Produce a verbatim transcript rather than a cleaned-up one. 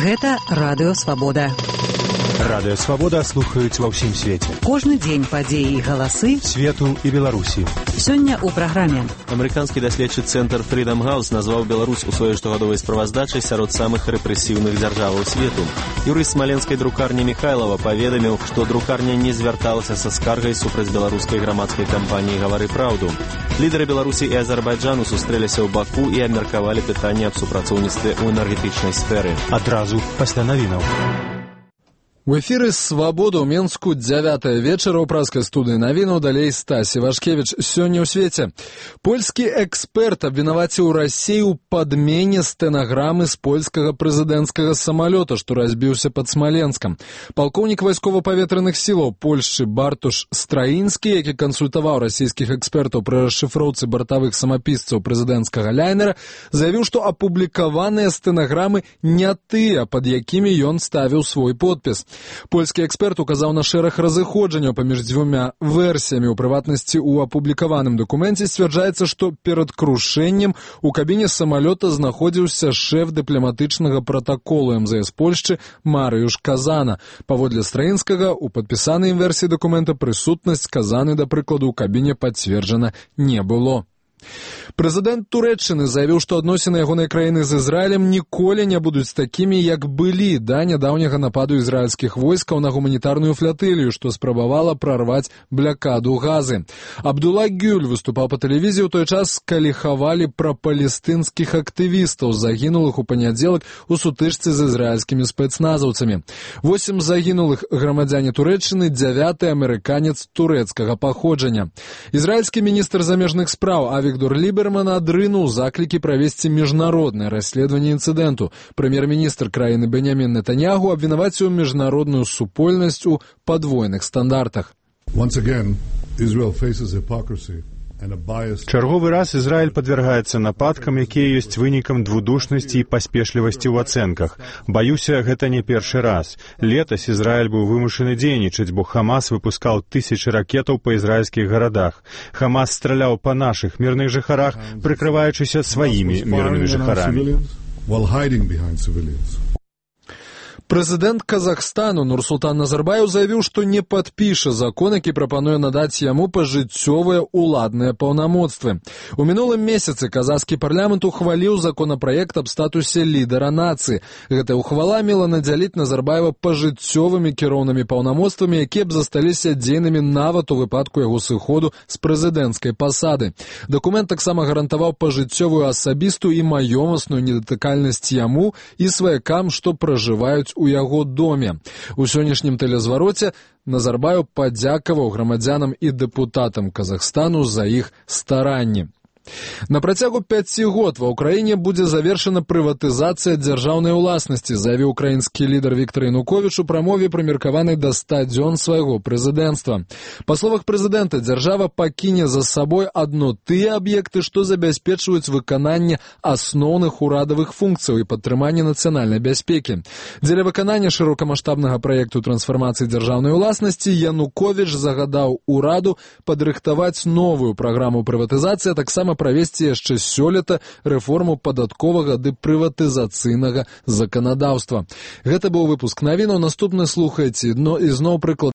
Гэта Радыё Свабода. Радыё Свабода слухаюць ва ўсім свеце. Кожны дзень падзеі і галасы свету і Беларусі. Сёння ў праграме. Амерыканскі даследчы цэнтр Freedom House назваў Беларусь у сваёй штогадовай справаздачай сярод самых рэпрэсіўных дзяржаваў свету. Юрыст смаленскай друкарні Михайлова паведаміў, што друкарня не звярталася са скаргай супраць беларускай грамадскай кампаніі «Гавары праўду». Лідары Беларусі і Азербайджану сустрэліся ў Баку і абмеркавалі пытанне аб супрацоўніцтве ў энергетычнай сферы. Адразу пасля навінаў. У эфіры «Свабода» ў Менску дзявятая вечара ў праскай студыі навінаў, далей Стась Івашкевіч. Сёння ў свеце. Польскі эксперт абвінаваціў Расію ў падмене стэнаграмы з польскага прэзідэнцкага самалёта, што разбіўся пад Смаленскам. Палкоўнік вайскова-паветраных сілаў Польшчы Бартуш Страінскі, які кансультаваў расійскіх экспертаў пры расшыфроўцы бартавых самапісцаў прэзідэнцкага ляйнера, заявіў, што апублікаваныя стэнаграмы не тыя, пад якімі ён ставіў свой подпіс. Польскі эксперт указаў на шэраг разыходжанняў паміж дзвюма версіямі. У прыватнасці, у апублікаваным дакуменце сцвярджаецца, што перад крушэннем у кабіне самалёта знаходзіўся шэф дыпламатычнага пратаколу эм зэ эс Польшчы Марыюш Казана. Паводле Страінскага, у падпісанай ім версіі дакумента прысутнасць Казаны, да прыкладу, у кабіне пацверджана не было. Прэзідэнт Турэччыны заявіў, што адносіны ягонай краіны з Ізраілем ніколі не будуць такімі, як былі да нядаўняга нападу ізраільскіх войскаў на гуманітарную флатылію, што спрабавала прарваць блякаду Газы. Абдулла Гюль выступаў па тэлевізіі ў той час, калі хавалі пра палестынскіх актывістаў, загінулых у панядзелак у сутычцы з ізраільскімі спецназаўцамі. Восем загінулых грамадзяне Турэччыны, дзявяты амерыканец турэцкага паходжання. Ізраільскі міністр замежных спраў Авігдор Ліберман адрынуў заклікі правесці міжнароднае расследаванне інцыдэнту. Прэм'ер-міністр краіны Беньямін Нетаньяху абвінаваціў міжнародную супольнасць у падвойных стандартах. Чарговы раз Ізраіль падвяргаецца нападкам, якія ёсць вынікам двудушнасці і паспешлівасці ў ацэнках. Баюся, гэта не першы раз. Летась Ізраіль быў вымушаны дзейнічаць, бо Хамас выпускаў тысячы ракетаў па ізраільскіх гарадах. Хамас страляў па нашых мірных жыхарах, прыкрываючыся сваімі мірнымі жыхарамі. Прэзідэнт Казахстану Нурсултан Назарбаев заявіў, што не падпіша закон, які прапануе надаць яму пажыццёвыя ўладныя паўнамоцтвы. У мінулым месяцы казахскі парламент ухваліў законапраект аб статусе лідара нацыі. Гэтая ухвала мела надзяліць Назарбаева пажыццёвымі кіроўнымі паўнамоцтвамі, якія б засталіся дзейнымі нават у выпадку яго сыходу з прэзідэнцкай пасады. Дакумент таксама гарантаваў пажыццёвую асабістую і маёмасную недатыкальнасць яму і сваякам, што пражываюць у яго доме. У сённяшнім тэлезвароце Назарбаев падзякаваў грамадзянам і дэпутатам Казахстану за іх старанні. На працягу пяці год ва ўкраіне будзе завершана прыватызацыя дзяржаўнай уласнасці, заявіў украінскі лідар Віктор Януковіч у прамове, прымеркаванай да ста дзён свайго прэзідэнцтва. Па словах прэзідэнта, дзяржава пакіне за сабой адно тыя аб'екты, што забяспечваюць выкананне асноўных урадавых функцыяў і падтрыманне нацыянальнай бяспекі. Дзеля выканання шырокамаштабнага праекту трансфармацыі дзяржаўнай уласнасці Януковіч загадаў ураду падрыхтаваць новую праграму прыватызацыі, а таксама правесці яшчэ сёлета рэформу падатковага ды прыватызацыйнага заканадаўства. Гэта быў выпуск навінаў. Наступны слухайце. Ну і зноў прыклад